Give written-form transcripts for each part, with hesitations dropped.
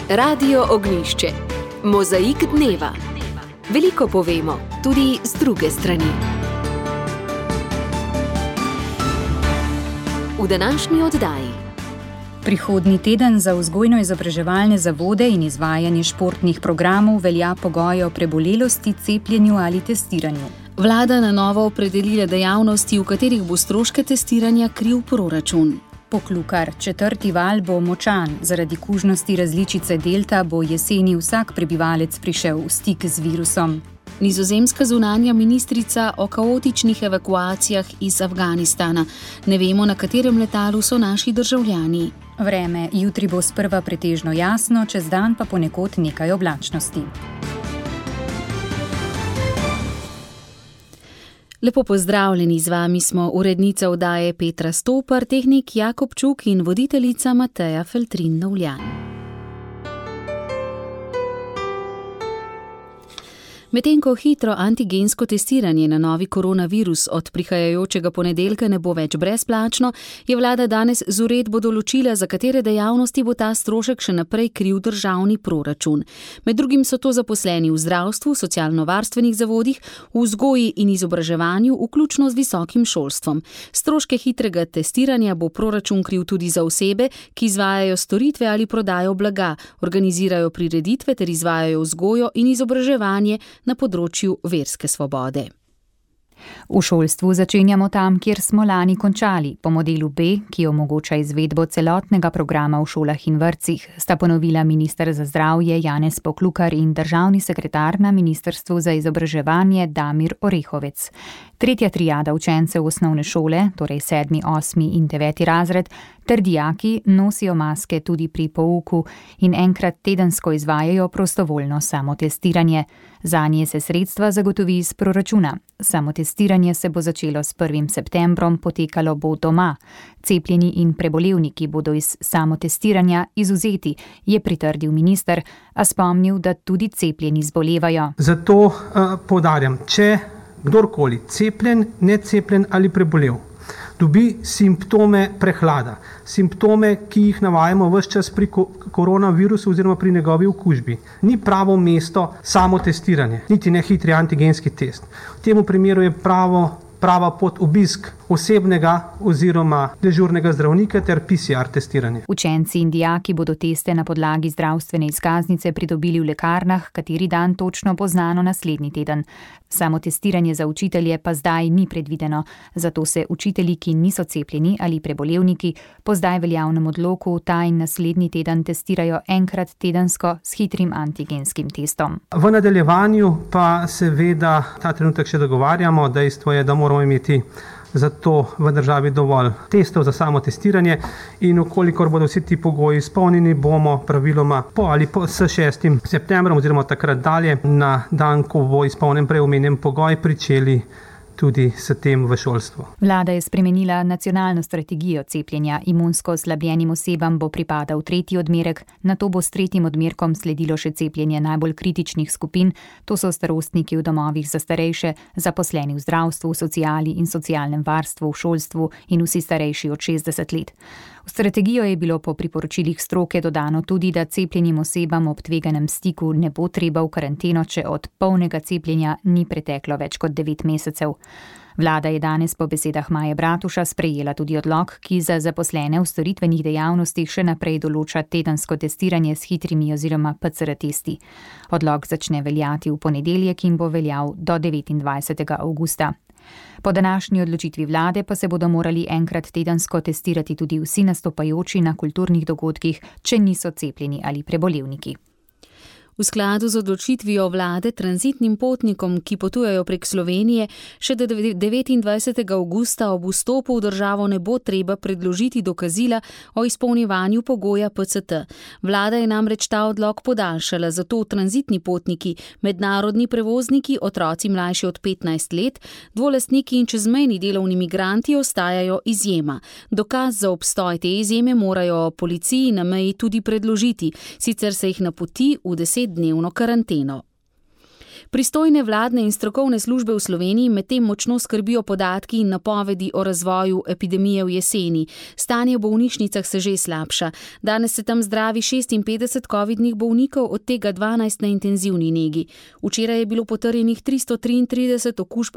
Radio Ognjišče. Mozaik dneva. Veliko povemo, tudi z druge strani. V današnji oddaji. Prihodnji teden za vzgojno-izobraževalne zavode in izvajanje športnih programov velja pogoj o prebolelosti, cepljenju ali testiranju. Vlada na novo opredelila dejavnosti, v katerih bo stroške testiranja kril proračun. Poklukar, 4. val bo močan. Zaradi kužnosti različice delta bo jeseni vsak prebivalec prišel v stik z virusom. Nizozemska zunanja ministrica o kaotičnih evakuacijah iz Afganistana. Ne vemo, na katerem letalu so naši državljani. Vreme, jutri bo sprva pretežno jasno, čez dan pa ponekod nekaj oblačnosti. Lepo pozdravljeni, z vami smo urednica oddaje Petra Stopar, tehnik Jakob Čuk in voditeljica Mateja Feltrin-Novljan. Medtem ko hitro antigensko testiranje na novi koronavirus od prihajajočega ponedeljka ne bo več brezplačno, je vlada danes z uredbo določila, za katere dejavnosti bo ta strošek še naprej kril državni proračun. Med drugim so to zaposleni v zdravstvu, socialno-varstvenih zavodih, v vzgoji in izobraževanju, vključno z visokim šolstvom. Stroške hitrega testiranja bo proračun kril tudi za osebe, ki izvajajo storitve ali prodajo blaga, organizirajo prireditve ter izvajajo vzgojo in izobraževanje na področju verske svobode. V šolstvu začenjamo tam, kjer smo lani končali. Po modelu B, ki omogoča izvedbo celotnega programa v šolah in vrtcih, sta ponovila minister za zdravje Janez Poklukar in državni sekretar na Ministrstvu za izobraževanje Damir Orehovec. Tretja triada učencev osnovne šole, torej 7., 8. in 9. razred, ter dijaki nosijo maske tudi pri pouku in enkrat tedensko izvajajo prostovoljno samotestiranje. Zanje se sredstva zagotovi iz proračuna. Samotestiranje se bo začelo s 1. septembrom, potekalo bo doma. Cepljeni in prebolevniki bodo iz samotestiranja izvzeti, je pritrdil minister, a spomnil, da tudi cepljeni zbolevajo. Zato poudarjam, če kdorkoli cepljen, necepljen ali prebolel dobi simptome prehlada, simptome, ki jih navajamo ves čas pri koronavirusu oziroma pri njegovi okužbi, ni pravo mesto samotestiranje, niti ne hitri antigenski test. V tem primeru je prava pot obisk osebnega oziroma dežurnega zdravnika ter PCR testiranje. Učenci in dijaki bodo teste na podlagi zdravstvene izkaznice pridobili v lekarnah, kateri dan točno bo znano naslednji teden. Samotestiranje za učitelje pa zdaj ni predvideno, zato se učitelji, ki niso cepljeni ali prebolevniki, po zdaj veljavnem odloku ta in naslednji teden testirajo enkrat tedensko s hitrim antigenskim testom. V nadaljevanju pa seveda ta trenutek še dogovarjamo, dejstvo je, da moramo imeti zato v državi dovolj testov za samotestiranje in ukolikor bodo vsi ti pogoji izpolnjeni, bomo praviloma s 6. septembrom oziroma takrat dalje na dan, ko bo izpolnjen prej omenjen pogoj, pričeli tudi s tem v šolstvu. Vlada je spremenila nacionalno strategijo cepljenja. Imunsko oslabljenim osebam bo pripadal 3. odmerek, nato bo s 3. odmerkom sledilo še cepljenje najbolj kritičnih skupin, to so starostniki v domovih za starejše, zaposleni v zdravstvu, sociali in socialnem varstvu, v šolstvu in vsi starejši od 60 let. V strategijo je bilo po priporočilih stroke dodano tudi, da cepljenim osebam ob tveganem stiku ne bo treba v karanteno, če od polnega cepljenja ni preteklo več kot 9 mesecev. Vlada je danes po besedah Maje Bratuša sprejela tudi odlok, ki za zaposlene v storitvenih dejavnostih še naprej določa tedensko testiranje s hitrimi oziroma PCR testi. Odlok začne veljati v ponedeljek in bo veljal do 29. avgusta. Po današnji odločitvi vlade pa se bodo morali enkrat tedensko testirati tudi vsi nastopajoči na kulturnih dogodkih, če niso cepljeni ali prebolevniki. V skladu z odločitvijo vlade tranzitnim potnikom, ki potujejo prek Slovenije, še do 29. avgusta ob vstopu v državo ne bo treba predložiti dokazila o izpolnjevanju pogoja PCT. Vlada je namreč ta odlok podaljšala, zato tranzitni potniki, mednarodni prevozniki, otroci mlajši od 15 let, dvolastniki in čezmejni delovni migranti ostajajo izjema. Dokaz za obstoj te izjeme morajo policiji na meji tudi predložiti, sicer se jih napoti v 10-dnevno karanteno. Pristojne vladne in strokovne službe v Sloveniji medtem močno skrbijo podatki in napovedi o razvoju epidemije v jeseni. Stanje v bolnišnicah se že slabša. Danes se tam zdravi 56 covidnih bolnikov, od tega 12 na intenzivni negi. Včeraj je bilo potrjenih 333 okužb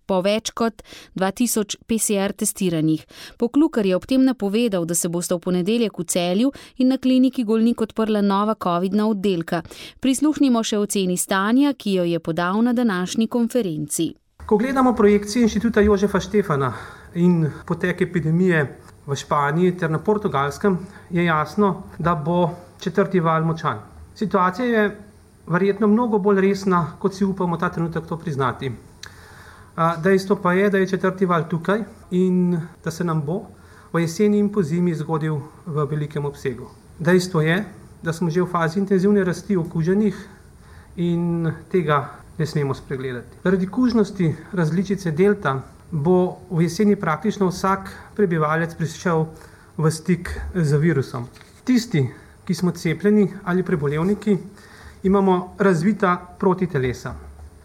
po več kot 2000 PCR testiranih. Poklukar je ob tem napovedal, da se bosta v ponedeljek v Celju in na kliniki Golnik odprla nova covidna oddelka. Prisluhnimo še oceni stanja, ki jo je podal na današnji konferenci. Ko gledamo projekcije Inštituta Jožefa Štefana in potek epidemije v Španiji ter na Portugalskem, je jasno, da bo četrti val močan. Situacija je verjetno mnogo bolj resna, kot si upamo ta trenutek to priznati. Dejstvo pa je, da je četrti val tukaj in da se nam bo v jeseni in pozimi zgodil v velikem obsegu. Dejstvo je, da smo že v fazi intenzivne rasti okuženih in tega ne smemo spregledati. Zaradi kužnosti različice delta bo v jeseni praktično vsak prebivalec prišel v stik z virusom. Tisti, ki smo cepljeni ali prebolevniki, imamo razvita protitelesa.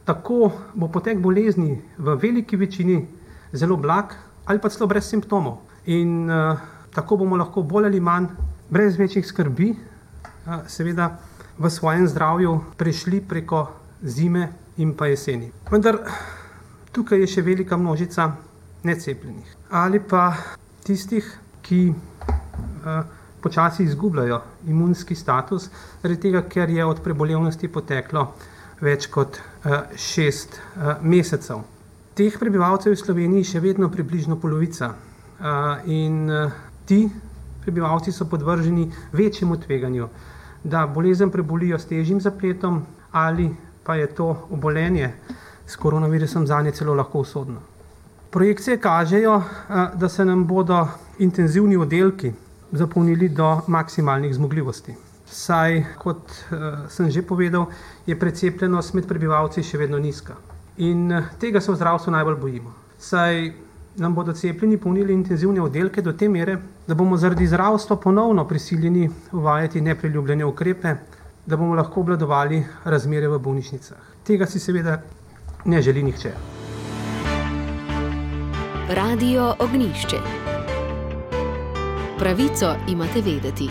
Tako bo potek bolezni v veliki večini zelo blag ali pa celo brez simptomov. In tako bomo lahko bolj ali manj, brez večjih skrbi, seveda v svojem zdravju prešli preko zime in pa jeseni. Vendar tukaj je še velika množica necepljenih ali pa tistih, ki počasi izgubljajo imunski status, zaradi tega, ker je od prebolevnosti poteklo več kot 6 mesecev. Teh prebivalcev v Sloveniji še vedno približno polovica in ti prebivalci so podvrženi večjemu tveganju, da bolezen prebolijo s težjim zapletom ali pa je to obolenje s koronavirusom zanje celo lahko usodno. Projekcije kažejo, da se nam bodo intenzivni oddelki zapolnili do maksimalnih zmogljivosti. Saj, kot sem že povedal, je precepljenost med prebivalci še vedno nizka. In tega se v zdravstvu najbolj bojimo. Saj nam bodo cepljeni polnili intenzivne oddelke do te mere, da bomo zaradi zdravstva ponovno prisiljeni uvajati nepriljubljene ukrepe, da bomo lahko obvladovali razmere v bolnišnicah. Tega si seveda ne želi nihče. Radio Ognjišče. Pravico imate vedeti.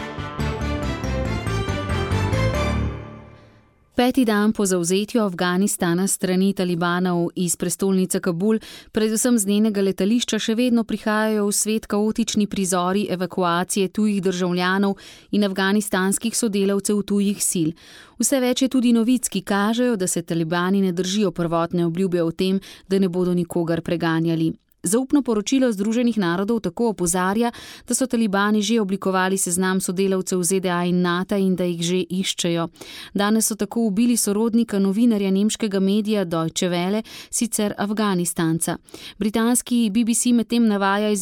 5. dan po zavzetju Afganistana strani talibanov iz prestolnice Kabul, predvsem z njenega letališča, še vedno prihajajo v svet kaotični prizori evakuacije tujih državljanov in afganistanskih sodelavcev tujih sil. Vse več je tudi novic, ki kažejo, da se talibani ne držijo prvotne obljube o tem, da ne bodo nikogar preganjali. Zaupno poročilo Združenih narodov tako opozarja, da so talibani že oblikovali seznam sodelavcev ZDA in NATO in da jih že iščejo. Danes so tako ubili sorodnika novinarja nemškega medija Deutsche Welle, sicer Afganistanca. Britanski BBC medtem navaja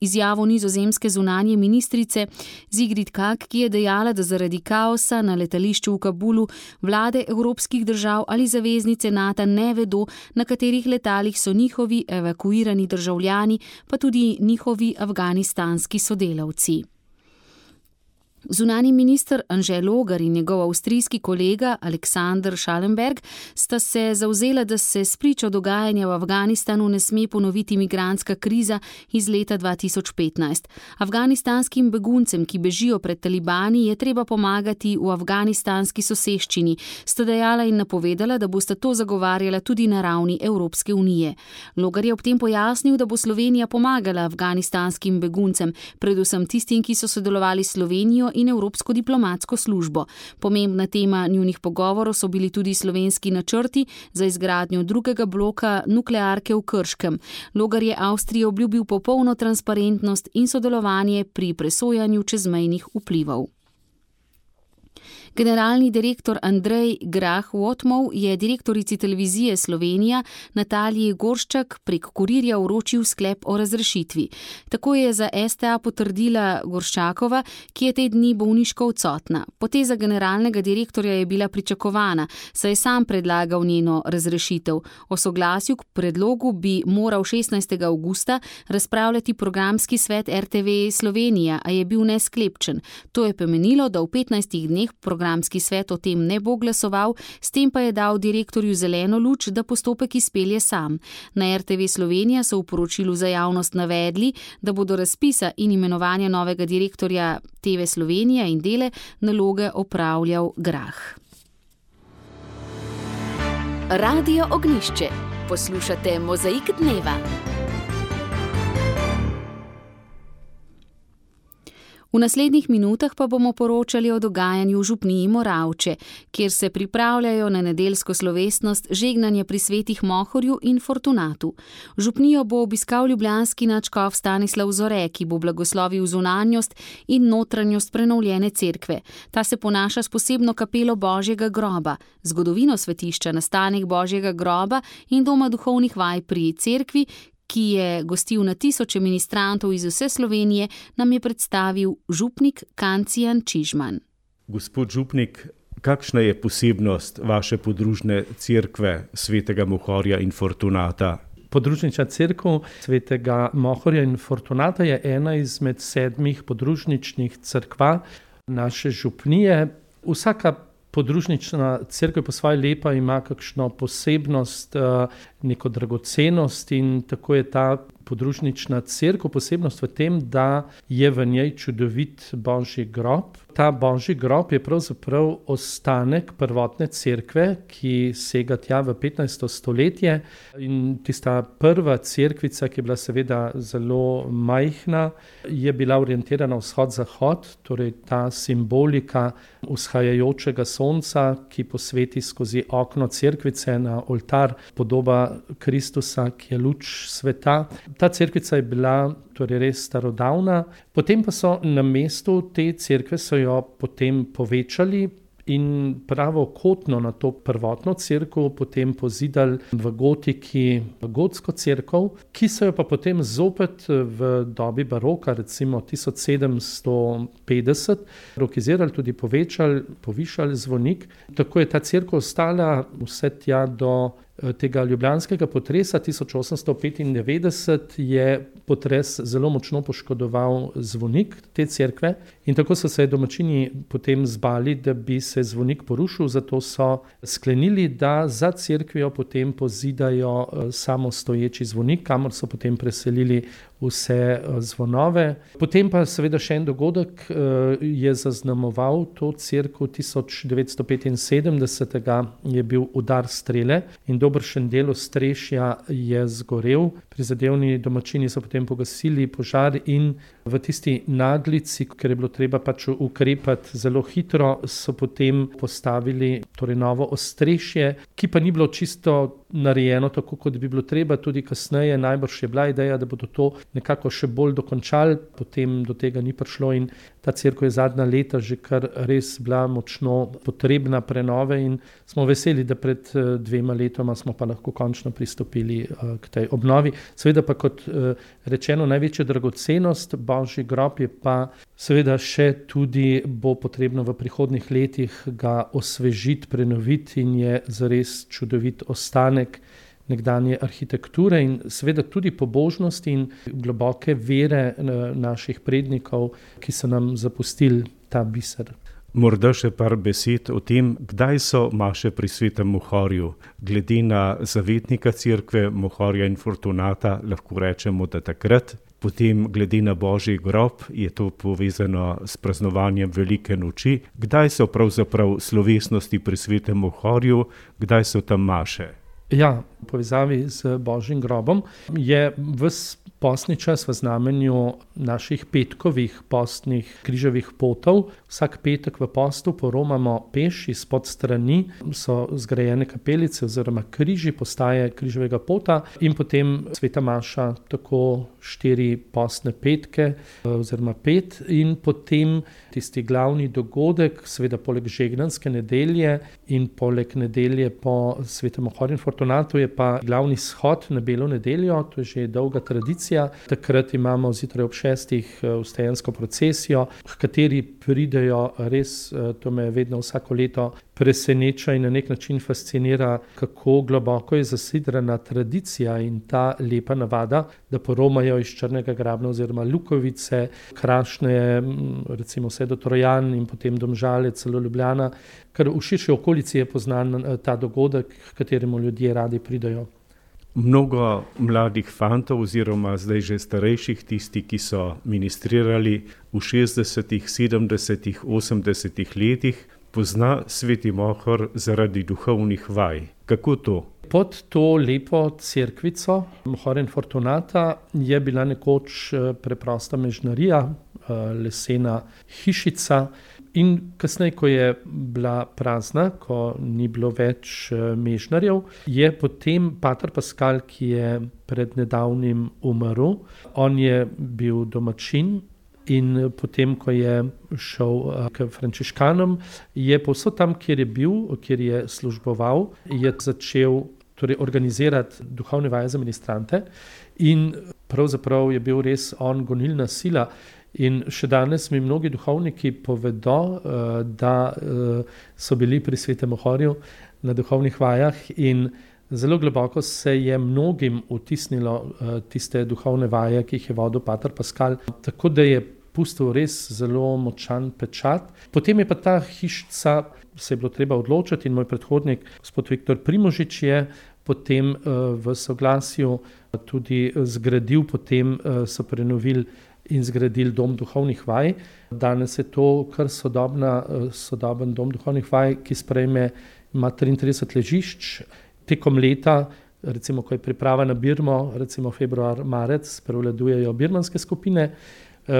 izjavo nizozemske zunanje ministrice Sigrid Kaag, ki je dejala, da zaradi kaosa na letališču v Kabulu vlade evropskih držav ali zaveznice NATO ne vedo, na katerih letalih so njihovi evakuirani državljani, pa tudi njihovi afganistanski sodelavci. Zunanji minister Anže Logar in njegov avstrijski kolega Alexander Schallenberg sta se zavzela, da se spričo dogajanja v Afganistanu ne sme ponoviti migrantska kriza iz leta 2015. Afganistanskim beguncem, ki bežijo pred talibani, je treba pomagati v afganistanski soseščini, sta dejala in napovedala, da bosta to zagovarjala tudi na ravni Evropske unije. Logar je ob tem pojasnil, da bo Slovenija pomagala afganistanskim beguncem, predvsem tistim, ki so sodelovali s Slovenijo in Evropsko diplomatsko službo. Pomembna tema njunih pogovorov so bili tudi slovenski načrti za izgradnjo drugega bloka nuklearke v Krškem. Logar je Avstriji obljubil popolno transparentnost in sodelovanje pri presojanju čezmejnih vplivov. Generalni direktor Andrej Grah-Wotmov je direktorici televizije Slovenija Nataliji Gorščak prek kurirja vročil sklep o razrešitvi. Tako je za STA potrdila Gorščakova, ki je te dni bolniško odsotna. Poteza generalnega direktorja je bila pričakovana, saj je sam predlagal njeno razrešitev. O soglasju k predlogu bi moral 16. avgusta razpravljati programski svet RTV Slovenija, a je bil nesklepčen. To je pomenilo, da v 15 dneh programski programski svet o tem ne bo glasoval, s tem pa je dal direktorju zeleno luč, da postopek izpelje sam. Na RTV Slovenija so v poročilu za javnost navedli, da bodo razpisa in imenovanja novega direktorja TV Slovenija in Dele naloge opravljal Grah. Radio Ognjišče. Poslušate Mozaik dneva. V naslednjih minutah pa bomo poročali o dogajanju v župniji Moravče, kjer se pripravljajo na nedeljsko slovesnost žegnanje pri svetih Mohorju in Fortunatu. Župnijo bo obiskal ljubljanski nadškof Stanislav Zore, ki bo blagoslovil zunanjost in notranjost prenovljene cerkve. Ta se ponaša s posebno kapelo Božjega groba, zgodovino svetišča, nastanek Božjega groba in doma duhovnih vaj pri cerkvi, ki je gostil na tisoče ministrantov iz vse Slovenije, nam je predstavil župnik Kancijan Čižman. Gospod župnik, kakšna je posebnost vaše podružne cerkve svetega Mohorja in Fortunata? Podružnična cerkev svetega Mohorja in Fortunata je ena izmed 7 podružničnih cerkva naše župnije. Vsaka podružnična cerkev po svoje lepa ima kakšno posebnost, neko dragocenost in tako je ta podružnična cerkev posebnost v tem, da je v njej čudovit Božji grob. Ta Božji grob je pravzaprav ostanek prvotne cerkve, ki sega tja v 15. stoletje in tista prva cerkvica, ki je bila seveda zelo majhna, je bila orientirana vzhod-zahod, torej ta simbolika vzhajajočega sonca, ki posveti skozi okno cerkvice na oltar podoba Kristusa, ki je luč sveta. Ta cerkvica je bila torej res starodavna, potem pa so na mestu te cerkve so jo potem povečali in pravokotno na to prvotno cerkev potem pozidali v gotiki gotsko cerkev, ki so jo pa potem zopet v dobi baroka, recimo 1750, rokizirali, tudi povečali, povišali zvonik. Tako je ta cerkev ostala vse tja do tega ljubljanskega potresa 1895 je potres zelo močno poškodoval zvonik te cerkve in tako so se domačini potem zbali, da bi se zvonik porušil, zato so sklenili, da za cerkvijo potem pozidajo samostoječi zvonik, kamor so potem preselili vse zvonove. Potem pa seveda še en dogodek je zaznamoval to cerkev 1975 je bil udar strele in dobršen del ostrešja je zgorel. Prizadevni domačini so potem pogasili požar in v tisti naglici, ker je bilo treba pač ukrepati zelo hitro, so potem postavili torej novo ostrešje, ki pa ni bilo čisto narejeno tako, kot bi bilo treba. Tudi kasneje najbrž je bila ideja, da bodo to nekako še bolj dokončali, potem do tega ni prišlo in ta cerkev je zadnja leta že kar res bila močno potrebna prenove in smo veseli, da pred 2 letoma smo pa lahko končno pristopili k tej obnovi. Seveda pa kot rečeno, največja dragocenost Božji grob je pa seveda še tudi bo potrebno v prihodnjih letih ga osvežiti, prenoviti in je zares čudovit ostanek nekdanje arhitekture in seveda tudi pobožnosti in globoke vere naših prednikov, ki so nam zapustili ta biser. Morda še par besed o tem, kdaj so maše pri svetem Mohorju. Glede na zavetnika cerkve Mohorja in Fortunata lahko rečemo, da takrat. Potem glede na Božji grob je to povezano s praznovanjem Velike noči. Kdaj so pravzaprav slovesnosti pri svetem Mohorju, kdaj so tam maše? Ja, v povezavi z Božjim grobom je ves postni čas v znamenju naših petkovih postnih križevih potov. Vsak petek v postu poromamo peš izpod strani, so zgrajene kapelice oziroma križi, postaje križevega pota in potem sveta maša, tako 4 postne petke oziroma 5 in potem tisti glavni dogodek, seveda poleg žegnanske nedelje in poleg nedelje po svetem Mohorju in Fortunatu je pa glavni shod na Belo nedeljo, to je že dolga tradicija. tradicija. Takrat imamo zjutraj ob 6 vstajensko procesijo, h kateri pridejo res, to me vedno vsako leto preseneča in na nek način fascinira, kako globoko je zasidrana tradicija in ta lepa navada, da poromajo iz Črnega grabna oziroma Lukovice, Krašne, recimo vse do Trojan in potem Domžale, celo Ljubljana, ker v širši okolici je poznan ta dogodek, h kateremu ljudje radi pridajo. Mnogo mladih fantov oziroma zdaj že starejših, tisti, ki so ministrirali v 60., 70., 80. letih, pozna Sveti Mohor zaradi duhovnih vaj. Kako to? Pod to lepo cerkvico Mohorja in Fortunata je bila nekoč preprosta mežnarija, lesena hišica, in kasneje, ko je bila prazna, ko ni bilo več mežnarjev, je potem pater Paskal, ki je pred nedavnim umrl, on je bil domačin in potem, ko je šel k frančiškanom, je povsod tam, kjer je bil, kjer je služboval, je začel organizirati duhovne vaje za ministrante in pravzaprav je bil res on gonilna sila. In še danes mi mnogi duhovniki povedo, da so bili pri Svetem Mohorju na duhovnih vajah in zelo globoko se je mnogim vtisnilo tiste duhovne vaje, ki jih je vodil pater Paskal, tako da je pustil res zelo močan pečat. Potem je pa ta hišica, se je bilo treba odločiti in moj predhodnik, gospod Viktor Primožič, je potem v soglasju tudi zgradil, potem so prenovili in zgradili dom duhovnih vaj. Danes je to kar sodoben dom duhovnih vaj, ki ima 33 ležišč. Tekom leta, recimo ko je priprava na Birmo, recimo februar, marec, prevladujejo birmanske skupine,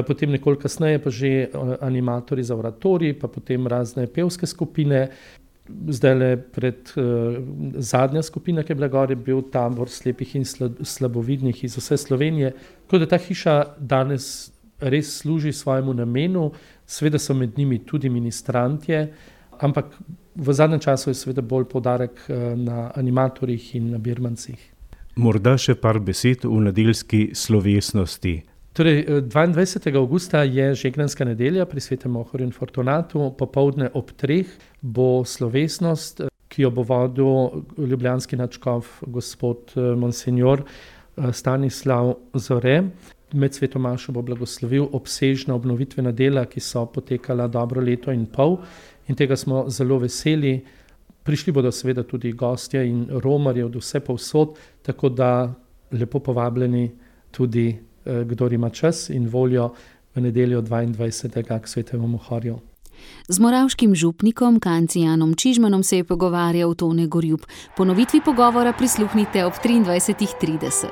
potem nekoliko kasneje pa že animatorji za oratorij, pa potem razne pevske skupine. Zdajle pred zadnja skupina, ki je bila gor, je bil tabor slepih in slabovidnih iz vse Slovenije. Tako da ta hiša danes res služi svojemu namenu, seveda so med njimi tudi ministrantje, ampak v zadnjem času je seveda bolj poudarek na animatorjih in na birmancih. Morda še par besed v nedeljski slovesnosti. Torej, 22. avgusta je žegnanska nedelja pri Svetem Mohorju in Fortunatu, popoldne ob 3 bo slovesnost, ki jo bo vodil ljubljanski nadškof gospod monsenjor Stanislav Zore. Med sveto mašo bo blagoslovil obsežna obnovitvena dela, ki so potekala dobro leto in pol in tega smo zelo veseli. Prišli bodo seveda tudi gostje in romarji od vse povsod, tako da lepo povabljeni tudi kdor ima čas in voljo v nedeljo 22. k Svetemu Mohorju. Z moravškim župnikom Kancijanom Čižmanom se je pogovarjal Tone Gorjup. Ponovitvi pogovora prisluhnite ob 23:30.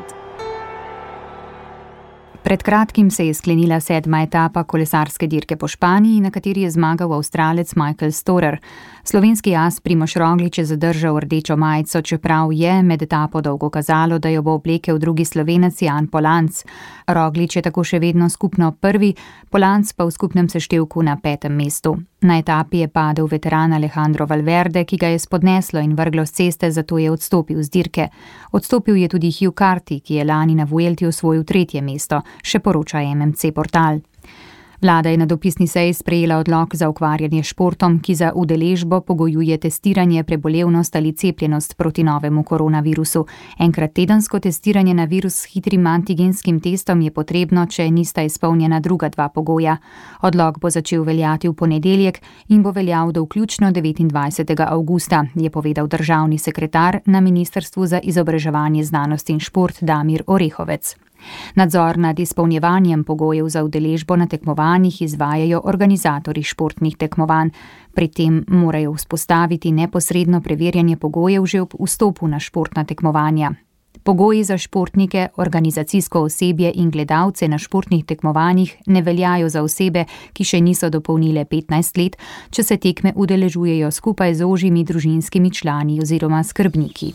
Pred kratkim se je sklenila 7. etapa kolesarske dirke po Španiji, na kateri je zmagal Avstralec Michael Storer. Slovenski as Primož Roglič je zadržal rdečo majico, čeprav je med etapo dolgo kazalo, da jo bo oblekel drugi Slovenec Jan Polanc. Roglič je tako še vedno skupno prvi, Polanc pa v skupnem seštevku na 5. mestu. Na etapi je padel veteran Alejandro Valverde, ki ga je spodneslo in vrglo s ceste, zato je odstopil z dirke. Odstopil je tudi Hugh Carty, ki je lani na Vuelti osvojil 3. mesto, še poroča MMC portal. Vlada je na dopisni seji sprejela odlok za ukvarjanje s športom, ki za udeležbo pogojuje testiranje, prebolevnost ali cepljenost proti novemu koronavirusu. Enkrat tedensko testiranje na virus s hitrim antigenskim testom je potrebno, če nista izpolnjena druga 2 pogoja. Odlok bo začel veljati v ponedeljek in bo veljal do vključno 29. avgusta, je povedal državni sekretar na Ministrstvu za izobraževanje, znanost in šport Damir Orehovec. Nadzor nad izpolnjevanjem pogojev za udeležbo na tekmovanjih izvajajo organizatorji športnih tekmovanj. Pri tem morajo vzpostaviti neposredno preverjanje pogojev že ob vstopu na športna tekmovanja. Pogoji za športnike, organizacijsko osebje in gledalce na športnih tekmovanjih ne veljajo za osebe, ki še niso dopolnile 15 let, če se tekme udeležujejo skupaj z ožjimi družinskimi člani oziroma skrbniki.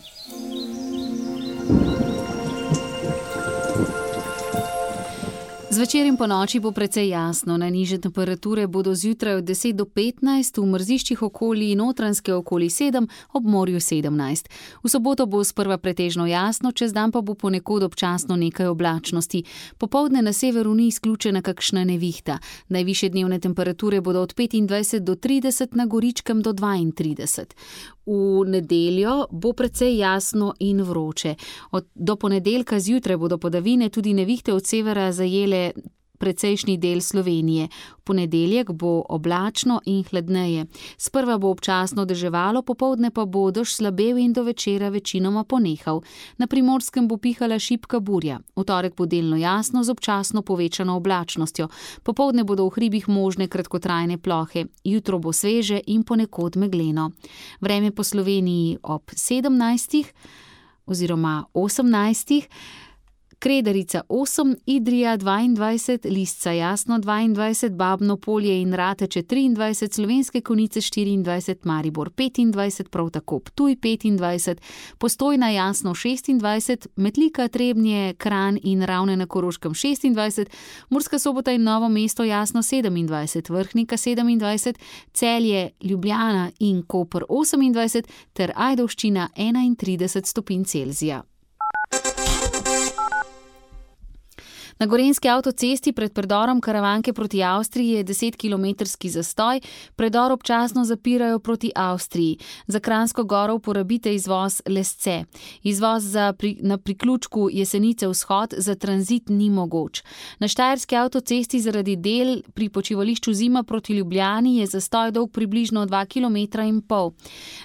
Zvečer in po noči bo precej jasno, najnižje temperature bodo zjutraj od 10 do 15, v mrziščih okoli Notranjske okoli 7, ob morju 17. V soboto bo sprva pretežno jasno, čez dan pa bo ponekod občasno nekaj oblačnosti. Popoldne na severu ni izključena kakšna nevihta. Najvišje dnevne temperature bodo od 25 do 30, na Goričkem do 32. V nedeljo bo precej jasno in vroče. Do ponedeljka zjutraj bodo padavine, tudi nevihte od severa zajele precejšnji del Slovenije. V ponedeljek bo oblačno in hladneje. Sprva bo občasno deževalo, popoldne pa bo dež slabel in do večera večinoma ponehal. Na Primorskem bo pihala šibka burja. V torek bo delno jasno z občasno povečano oblačnostjo. Popoldne bodo v hribih možne kratkotrajne plohe. Jutro bo sveže in ponekod megleno. Vreme po Sloveniji ob 17 oziroma 18. Kredarica 8, Idrija 22, Lisca jasno 22, Babno Polje in Rateče 23, Slovenske Konjice 24, Maribor 25, prav tako Ptuj 25, Postojna jasno 26, Metlika, Trebnje, Kranj in Ravne na Koroškem 26, Murska Sobota in Novo mesto jasno 27, Vrhnika 27, Celje, Ljubljana in Koper 28 ter Ajdovščina 31 stopinj Celzija. Na Gorenjski avtocesti pred predorom Karavanke proti Avstriji je 10-kilometrski zastoj, predor občasno zapirajo proti Avstriji. Za Kranjsko Goro uporabite izvoz Lesce. Izvoz na priključku Jesenice vzhod za tranzit ni mogoč. Na Štajerski avtocesti zaradi del pri počivališču Zima proti Ljubljani je zastoj dolg približno 2,5 km.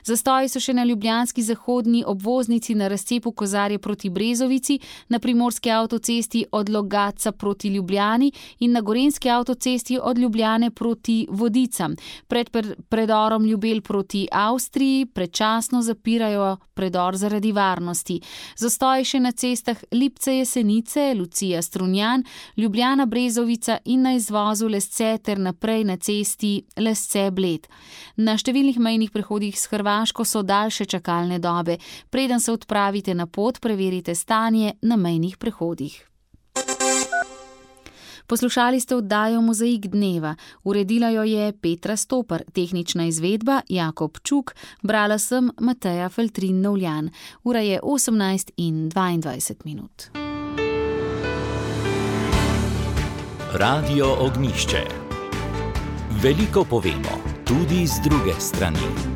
Zastoji so še na ljubljanski zahodni obvoznici na razcepu Kozarje proti Brezovici, na Primorski avtocesti od Logatca proti Ljubljani in na Gorenjski avtocesti od Ljubljane proti Vodicam. Pred predorom Ljubelj proti Avstriji predčasno zapirajo predor zaradi varnosti. Zastoj še na cestah Lipce Jesenice, Lucija Strunjan, Ljubljana Brezovica in na izvozu Lesce ter naprej na cesti Lesce Bled. Na številnih mejnih prehodih s Hrvaško so daljše čakalne dobe. Preden se odpravite na pot, preverite stanje na mejnih prehodih. Poslušali ste oddajo Mozaik dneva. Uredila jo je Petra Stopar, tehnična izvedba Jakob Čuk, brala sem Mateja Feltrin-Novljan. Ura je 18:22. Radio Ognjišče. Veliko povemo, tudi z druge strani.